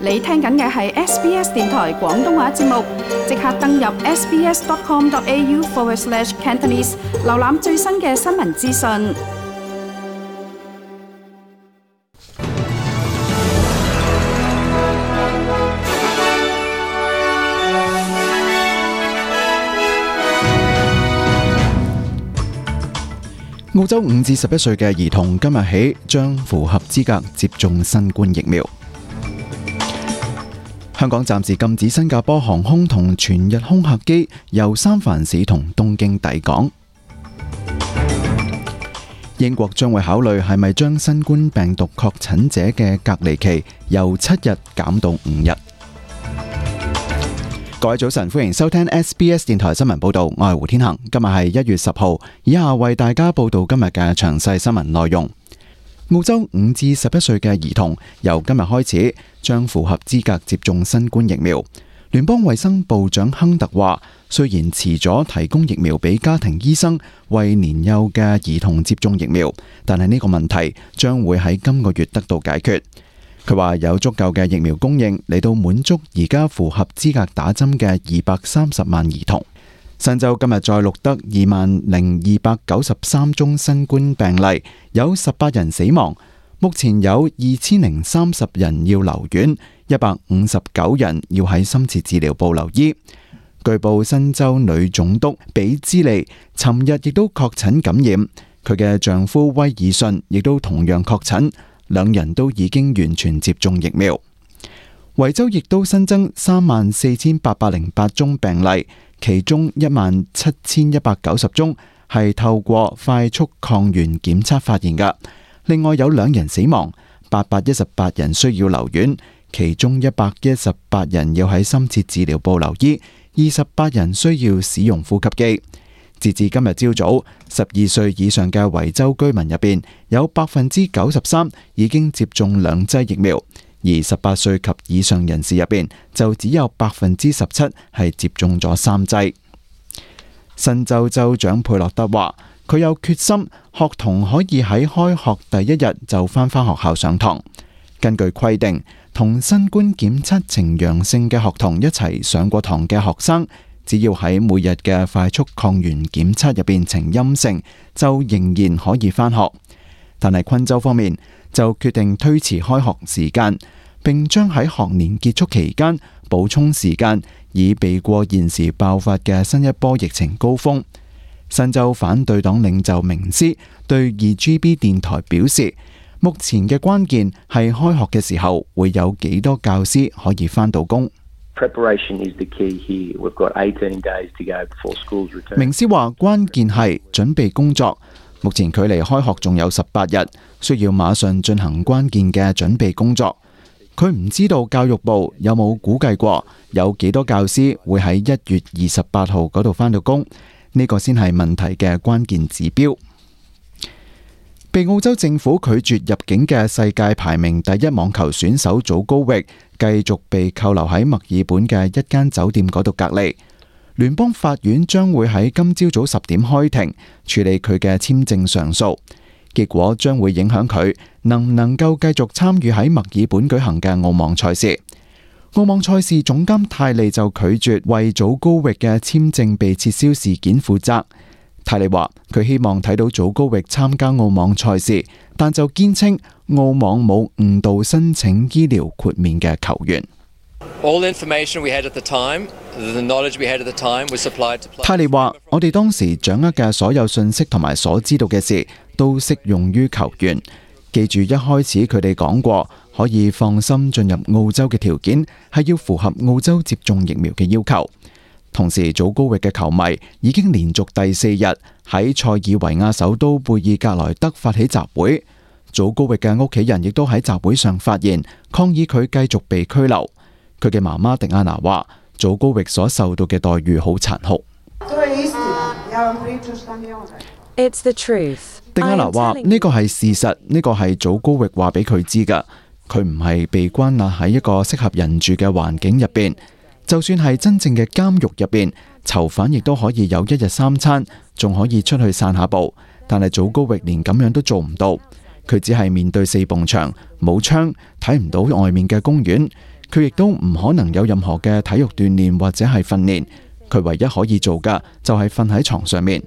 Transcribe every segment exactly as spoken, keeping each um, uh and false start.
你聽緊嘅係 S B S 電台廣東話節目，即刻登入 sbs.com.au forward slash Cantonese， 瀏覽最新嘅新聞資訊。澳洲五至十一歲嘅兒童今日起將符合資格接種新冠疫苗。香港暫時禁止新加坡航空同全日空客機由三藩市同東京抵港。英國將會考慮係咪將新冠病毒確診者嘅隔離期由七日減到五日。各位早晨，歡迎收聽 S B S 電台新聞報道，我係胡天恒。今日係一月十號，以下為大家報道今日嘅詳細新聞內容。澳洲五至十一歲嘅兒童由今日開始將符合資格接種新冠疫苗。聯邦衛生部長亨特話，雖然遲咗提供疫苗俾家庭醫生為年幼嘅兒童接種疫苗，但係呢個問題將會喺今個月得到解決。佢話有足夠嘅疫苗供應嚟到滿足而家符合資格打針嘅二百三十萬兒童。新州今日再錄得二萬零二百九十三宗新冠病例，有十八人死亡。目前有二千零三十人要留院，一百五十九人要喺深切治療部留醫。據報新州女總督比茲利尋日亦都確診感染，佢嘅丈夫威爾遜亦都同樣確診。兩人都已經完全接種疫苗。維州亦都新增三萬四千八百零八宗病例，其中一萬七千一百九十宗係透過快速抗原檢測發現嘅。另外有兩人死亡，八百一十八人需要留院，其中一百一十八人要喺深切治療部留醫，二十八人需要使用呼吸機。截至今日朝早，十二歲以上嘅維州居民入邊有百分之九十三已經接種兩劑疫苗，而十八歲及以上人士入邊就只有百分之十七係接種咗三劑。新州州長佩洛特話，佢有決心學童可以喺開學第一日就返返學校上堂。根據規定，同新冠檢測呈陽性嘅學童一齊上過堂嘅學生，只要喺每日嘅快速抗原檢測入邊呈陰性，就仍然可以返學。但係昆州方面就決定推遲開學時間，並將喺學年結束期間補充時間，以避過現時爆發嘅新一波疫情高峰。新州反對黨領袖明斯對二 G B 電台表示，目前嘅關鍵係開學嘅時候會有幾多教師可以返到工。明斯話關鍵係準備工作，目前距離開學仲有十八日，需要馬上進行關鍵嘅準備工作。佢唔知道教育部有冇估計過有幾多教師會喺一月二十八號嗰度返到工，呢個先係問題嘅關鍵指標。被澳洲政府拒絕入境嘅世界排名第一網球選手祖高域繼續被扣留喺墨爾本嘅一間酒店嗰度隔離。聯邦法院將會喺今朝早十點開庭處理佢嘅簽證上訴，結果將會影響佢能唔能夠繼續參與喺墨爾本舉行嘅澳網賽事。澳網賽事總監泰利就拒絕為祖高域嘅簽證被撤銷事件負責。泰利話佢希望睇到祖高域參加澳網賽事，但就堅稱澳網冇誤導申請醫療豁免嘅球員。泰利話我哋當時掌握嘅所有信息同埋所知道嘅事都適用於球員。記住一開始佢哋講過可以放心進入澳洲嘅條件係要符合澳洲接種疫苗嘅要求。同時，祖高域嘅球迷已經連續第四日喺塞爾維亞首都貝爾格萊德發起集會。祖高域嘅屋企人亦都喺集會上發言，抗議佢繼續被拘留。佢嘅媽媽迪亞娜話：祖高域所受到嘅待遇好殘酷。It's the truth. 迪亞娜話：呢個係事實，呢個係祖高域話俾佢知㗎。佢唔係被關押喺一個適合人住嘅環境入邊。就算係真正嘅監獄入邊，囚犯亦都可以有一日三餐，仲可以出去散下步。但係祖高域連咁樣都做唔到，佢只係面對四埲牆，冇窗，睇唔到外面嘅公園。佢亦都唔可能有任何嘅體育鍛煉或者係訓練。佢唯一可以做嘅就係瞓喺床上面。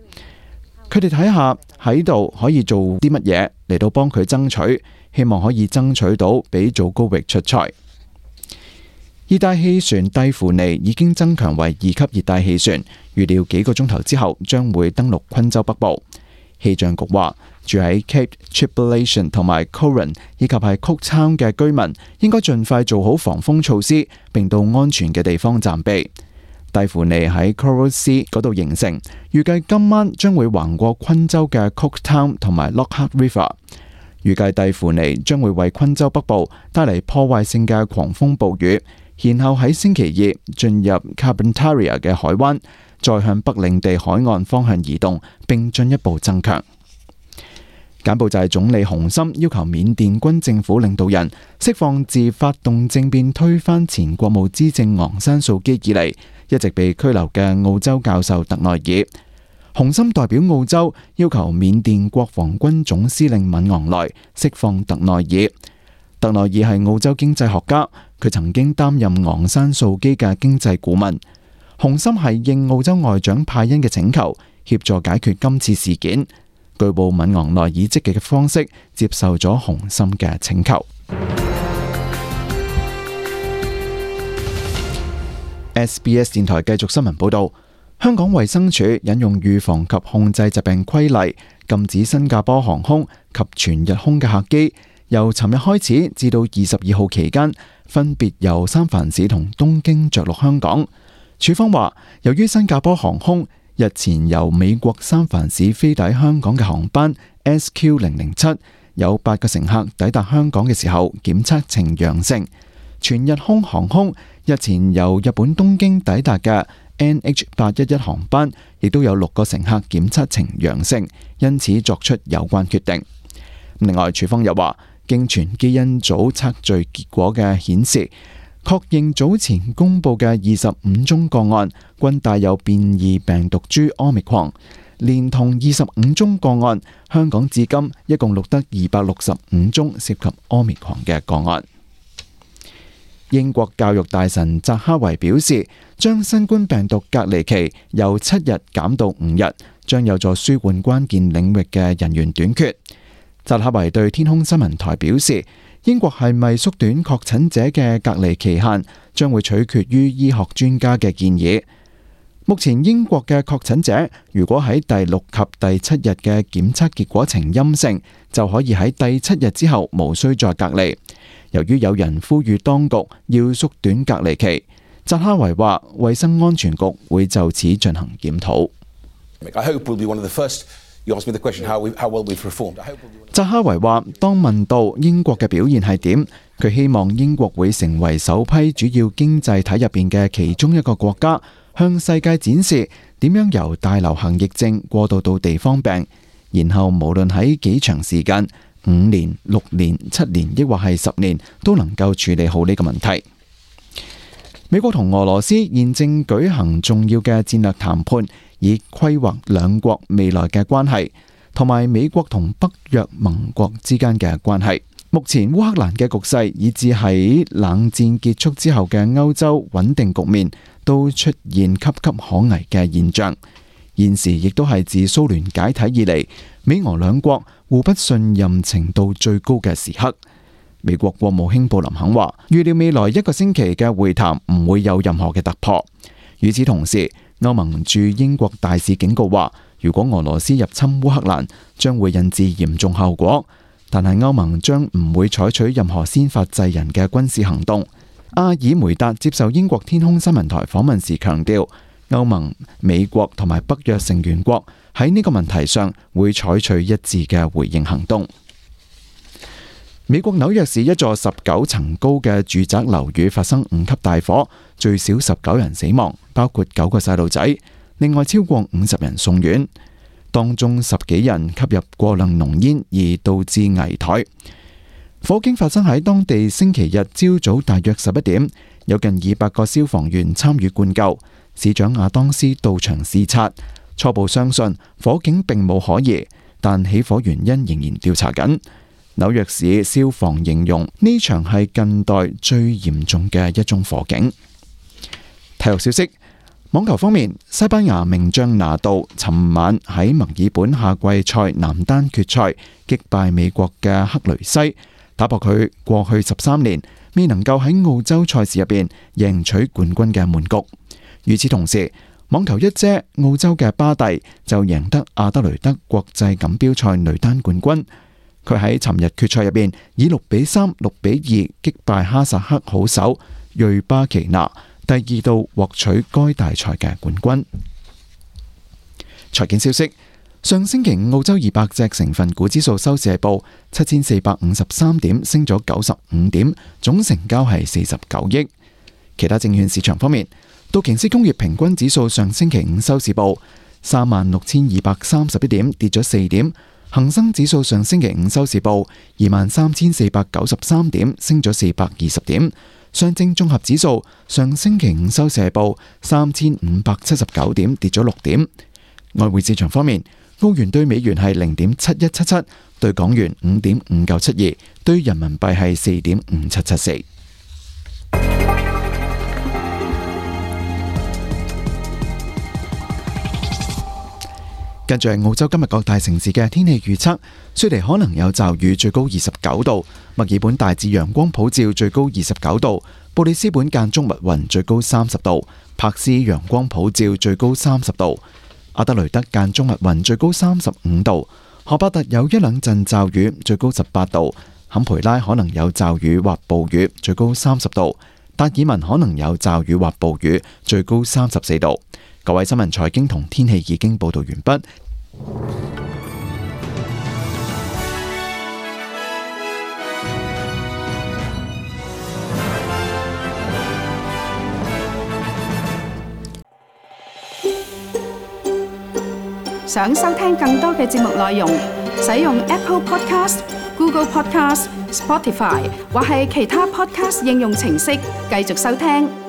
佢哋睇下喺度可以做啲乜嘢嚟到幫佢爭取，希望可以爭取到俾祖高域出賽。熱帶氣旋蒂芙尼已經增強為二級熱帶氣旋，預料幾個鐘頭之後將會登陸昆州北部。氣象局話，住喺 Cape Tribulation 同埋 Coron 以及係 Cooktown 嘅居民應該盡快做好防風措施，並到安全嘅地方暫避。蒂芙尼喺 Coral Sea 嗰度形成，預計今晚將會橫過昆州嘅 Cooktown 同埋 Lockhart River。預計蒂芙尼將會為昆州北部帶嚟破壞性嘅狂風暴雨，然後喺星期二進入 Carpentaria 嘅海灣，再向北領地海岸方向移動，並進一步增強。柬埔寨總理洪森要求緬甸軍政府領導人釋放自發動政變推翻前國務資政昂山素基以嚟一直被拘留嘅澳洲教授特內爾。洪森代表澳洲要求緬甸國防軍總司令敏昂萊釋放特內爾。特內爾係澳洲經濟學家，佢曾經擔任昂山素基嘅經濟顧問。洪森係應澳洲外長派恩嘅請求，協助解決今次事件。據報敏昂萊以積極嘅方式接受咗洪森嘅請求。S B S 電台繼續新聞報道，香港衛生署引用預防及控制疾病規例，禁止新加坡航空及全日空嘅客機由尋日開始至到二十二號期間，分別由三藩市同東京着陸香港。署方話，由於新加坡航空日前由美國三藩市飛抵香港嘅航班 S Q 零零七有八個乘客抵達香港嘅時候檢測呈陽性，全日空航空日前由日本東京抵達嘅 N H 八一一航班亦都有六個乘客檢測呈陽性，因此作出有關決定。另外，署方又話，經全基因組測序結果嘅顯示，確認早前公布嘅二十五宗個案均帶有變異病毒株 Omicron， 連同二十五宗個案，香港至今一共錄得二百六十五宗涉及 Omicron 嘅個案。英國教育大臣扎哈維表示，將新冠病毒隔離期由七日減到五日，將有助舒緩關鍵領域嘅人員短缺。扎哈維對天空新聞台表示，英國係咪縮短確診者嘅隔離期限，將會取決於醫學專家嘅建議。目前英國嘅確診者如果喺第六及第七日嘅檢測結果呈陰性，就可以喺第七日之後無需再隔離。由於有人呼籲當局要縮短隔離期，扎哈維話衛生安全局會就此進行檢討。扎哈維話，當問到英國嘅表現係點，佢希望英國會成為首批主要經濟體入邊嘅其中一個國家，向世界展示點樣由大流行疫症過渡到地方病，然後無論喺幾長時間，五年、六年、七年，抑或係十年，都能夠處理好呢個問題。美國同俄羅斯現正舉行重要嘅戰略談判，以規劃兩國未來嘅關係，同埋美國同北約盟國之間嘅關係。目前烏克蘭嘅局勢，以至喺冷戰結束之後嘅歐洲穩定局面，都出現岌岌可危嘅現象。現時亦都係自蘇聯解體以嚟，美俄兩國互不信任程度最高嘅時刻。美國國務卿布林肯話，預料未來一個星期嘅會談唔會有任何嘅突破。與此同時，歐盟駐英國大使警告話，如果俄羅斯入侵烏克蘭，將會引致嚴重後果。但係歐盟將唔會採取任何先發制人嘅軍事行動。阿爾梅達接受英國天空新聞台訪問時強調，歐盟、美國同埋北約成員國喺呢個問題上會採取一致嘅回應行動。美國紐約市一座十九層高嘅住宅樓宇發生五級大火，最少十九人死亡，包括九個細路仔，另外超過五十人送院，當中十幾人吸入過量濃煙而導致危殆。火警發生喺當地星期日朝早大約十一點，有近二百個消防員參與灌救。市長亞當斯到場視察，初步相信火警並冇可疑，但起火原因仍然調查緊。紐約市消防形容呢場係近代最嚴重嘅一宗火警。體育消息，網球方面，西班牙名將拿度尋晚喺墨爾本夏季賽男單決賽擊敗美國嘅克雷西，打破佢過去十三年未能夠喺澳洲賽事入邊贏取冠軍嘅悶局。與此同時，網球一姐澳洲嘅巴蒂就贏得阿德雷德國際錦標賽女單冠軍。佢喺尋日決賽入邊以六比三、六比二擊敗哈薩克好手瑞巴奇娜，第二度獲取該大賽嘅冠軍。財經消息，上星期五澳洲二百隻成分股指數收市係報七千四百五十三點，升咗九十五點，總成交係四十九億。其他證券市場方面，道瓊斯工業平均指數上星期五收市報三萬六千二百三十一點，跌咗四點。恒生指數上星期五收市報二萬三千四百九十三點，升咗四百二十點。上證綜合指數上星期五收市係報三千五百七十九點，跌咗六點。外匯市場方面，澳元對美元係零點七一七七，對港元五點五九七二，對人民幣係四點五七七四。跟住係澳洲今日各大城市嘅天氣預測，雪梨可能有驟雨，最高二十九度；墨爾本大致陽光普照，最高二十九度；布里斯本間中密雲，最高三十度；柏斯陽光普照，最高三十度；阿德雷德間中密雲，最高三十五度；荷伯特有一兩陣驟雨，最高十八度；坎培拉可能有驟雨或暴雨，最高三十度；達爾文可能有驟雨或暴雨，最高三十四度。各位新聞財經同天氣已經報道完畢。想收聽更多嘅節目內容，使用 Apple Podcast、Google Podcast、Spotify 或係其他 Podcast 應用程式繼續收聽。